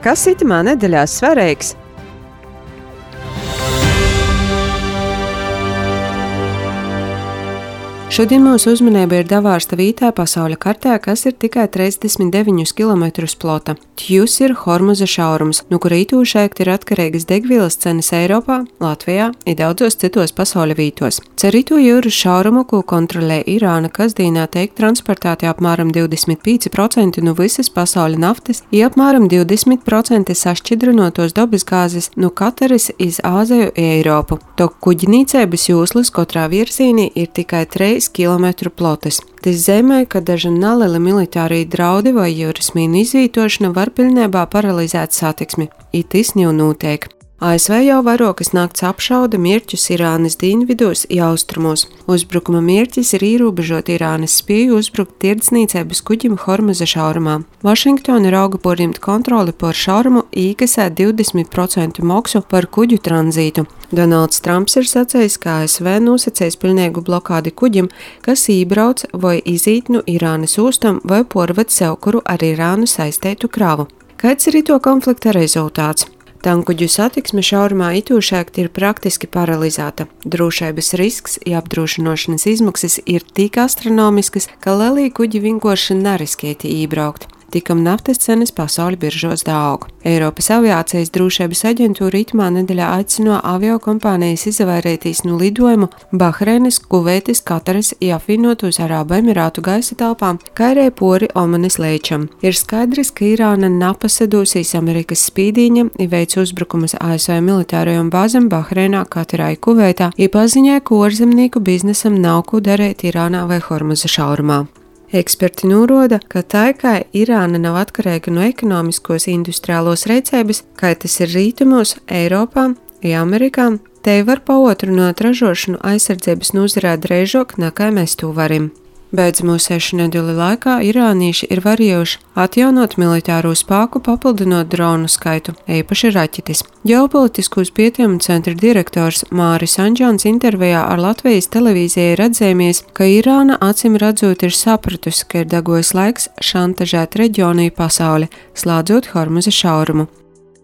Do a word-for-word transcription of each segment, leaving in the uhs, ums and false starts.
Kas itamā nedēļā svarīgs? Šodien mūsu uzmanība ir Davārsta vītā pasaules kartē, kas ir tikai trīsdesmit deviņus kilometrus plota. Tjus ir Hormuza šaurums, no kura itūšēkt ir atkarīgas degvielas cenas Eiropā, Latvijā un daudzos citos pasaules vītos. Cer itu jūras šaurumu, ko kontrolē Irāna, kasdīnā tiek transportēti apmēram divdesmit pieci procenti no visas pasaules naftas, un apmēram divdesmit procenti sašķidrinotos dabasgāzes no Kataras iz Āziju un Eiropu. Tok kuģinīcības jūslas katrā virzienī ir tikai trīs kilometru plotas. Tas zemē, ka daži nelieli militārie draudi vai jūras mīnu izvītošana var pilnībā paralizēt satiksmi. Itis jau notiek. A S V jau vairākas nakts apšauda mērķus Irānas dienvidos un austrumos. Uzbrukuma mērķis ir ierobežot Irānas spēju uzbrukt tirdzniecības kuģim Hormuza šaurumā. Vašingtona rauga porņemt kontroli par šaurumu un iekasēt divdesmit procentu maksu par kuģu tranzītu. Donalds Trumps ir sacījis, ka A S V nosacīs pilnīgu blokādi kuģim, kas iebrauc vai izīt no Irānas ostam vai porved sev kuru ar Irānu saistētu kravu. Kāds ir to konflikta rezultāts? Tankuģu satiksme šaurumā itūšēkt ir praktiski paralizēta. Drošības risks un apdrošināšanas izmaksas ir tik astronomiskas, ka lielie kuģi vienkārši neriskēti iebraukt. Tikam naftas cenas pasaules biržos daug. Eiropas aviācijas drošības aģentūra itamā nedēļā aicino aviokompānijas izvairīties no lidojumu Bahreinas, Kuveitas, Kataras un apvienotos Arābu Emirātu gaisa telpām, kā arī pori Omanas līčam. Ir skaidrs, ka Irāna napasadūsīs Amerikas spīdīņam un veic uzbrukumus A S V militārajām bāzēm Bahreinā, Katarā un Kuveitā, un paziņoja, ka ārzemnieku biznesam nav ko darīt Irānā vai Hormuza šaurumā. Eksperti norāda, ka tā kā Irāna nav atkarīga no ekonomiskos industriālos rīcības, kā tas ir rietumos, Eiropā un Amerikā, te var paotrināt ražošanu aizsardzības nozarē drīzāk nekā mēs to varam. Beidzamo sešu nedēļu laikā irānieši ir varējuši atjaunot militāro spēku, papildinot dronu skaitu, īpaši raķetes. Ģeopolitiskos pētījumu centra direktors Māris Anģons intervijā ar Latvijas televīzijai ir atzēmies, ka Irāna acīm redzot ir sapratusi, ka ir degojis laiks šantažēt reģionu un pasauli, slēdzot Hormuza šaurumu.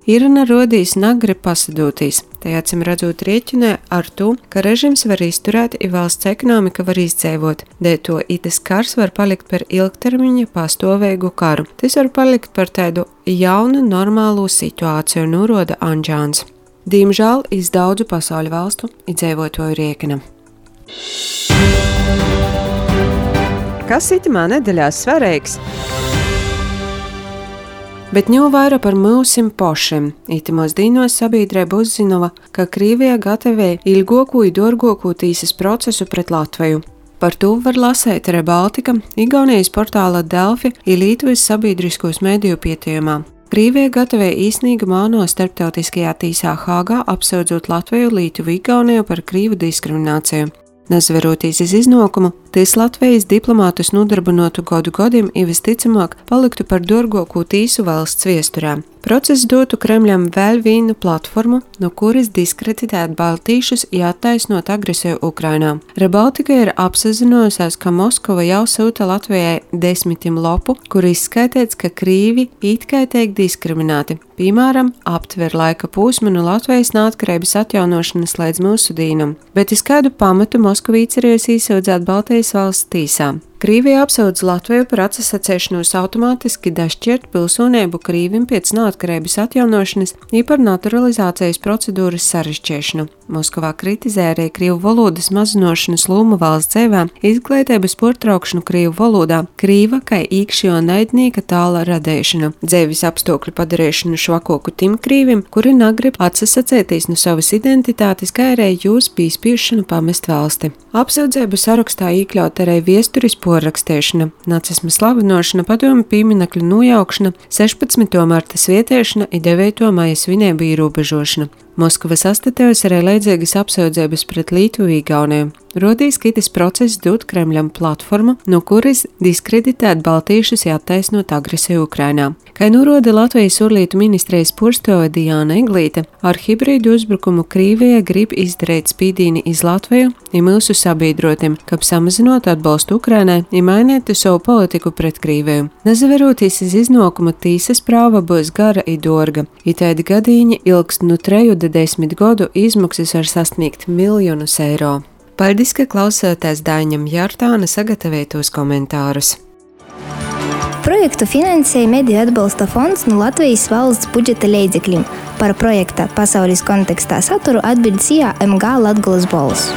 Irāna rodīs negrib pasadūtīs, tai acīm redzot rēķinē ar to, ka režims var izturēt un valsts ekonomika var izdzīvot, dēļ to itas kars var palikt par ilgtermiņa pastāvīgu karu. Tas var palikt par tādu jaunu, normālu situāciju, norāda Anģons. Diemžēl iz daudzu pasauļu valstu izdzīvotoju rēķina. Kas itamā nedēļā svarīgs? Bet ņau vairāk par mūsim pošiem. Itimos dīnos sabiedrība uzzinova, ka Krievija gatavoja ilgāko un dārgāko tīsas procesu pret Latviju. Par to var lasīt Rebaltika, Igaunijas portāla Delfi un Lietuvas sabiedriskos mediju pētījumā. Krievija gatavoja īsnīgumu ANO starptautiskajā tīsā Hāgā, apsūdzot Latviju, Lietuvu, Igauniju par krīvu diskrimināciju. Nezveroties iz iznākumu, tis Latvijas diplomātus nodarbinotu gadu gadiem un visticamāk paliktu par dārgāko tīsu valsts viesturē. Process dotu Kremļam vēl vienu platformu, no kuras diskreditēt baltīšus un attaisnot agresiju Ukrainā. Rebaltika ir apsazinājusies, ka Moskova jau sūta Latvijai desmitim lopu, kur izskaitīts, ka krīvi it kā tiek diskriminēti. Piemēram, aptver laika posmu no Latvijas neatkarības atjaunošanas līdz mūsu dīnam, bet iz kādu pamatu Moskavīts ir iesūdzēt Baltijas valsts tīsā. Krievija apsūdz Latviju par atsacēšanos automātiski dašķirt pilsonību Krīvim pēc neatkarības atjaunošanas un par naturalizācijas procedūras sarežģīšanu. Moskavā kritizē arī krievu valodas mazinošanas lomu valsts dzīvē, izglītības pārtraukšanu krievu valodā, krīva kā īkšķo naidnieka tāla radīšanu, dzīves apstākļu padarīšanu švakoku tim krīvim, kuri negrib atsacēties no savas identitātes, kā arī jūs pīspīšanu pamest valsti. Apsūdzību sarakstā iekļaut arī viesturis porrakstīšana, nacisma slavinošana, padomju pieminekļu nojaukšana, sešpadsmito marta svietiešana un devīto maija svinību ierobežošana. Moskva sastatējusi arī leidzīgas apsūdzības pret Lietuvu Igauniju. Rodīs kitas process dot Kremļam platformu, no kuras diskreditēt baltīšus attaisnot agresiju Ukrainā. Kā norāda Latvijas ārlietu ministrijas porstove Diana Eglīte, ar hibrīdu uzbrukumu Krīvija grib izdarīt spīdīni iz Latviju un mūsu sabiedrotiem, kā samazinot atbalstu Ukrainai un mainītu savu politiku pret Krīviju. Nezaveroties iz iznākumu, tīsas prāva būs gara un dārga. Itādi gadījumi ilgst no treju līdz desmit gadu, izmaksas var sasniegt miljonus eiro. Paldies, ka klausāties Daiņam Jārtāna sagatavotos komentārus. Projektu finansēja Mediju atbalsta fonds no Latvijas valsts budžeta līdzekļiem. Par projekta pasaules kontekstā saturu atbild C A M G Latgolas balss.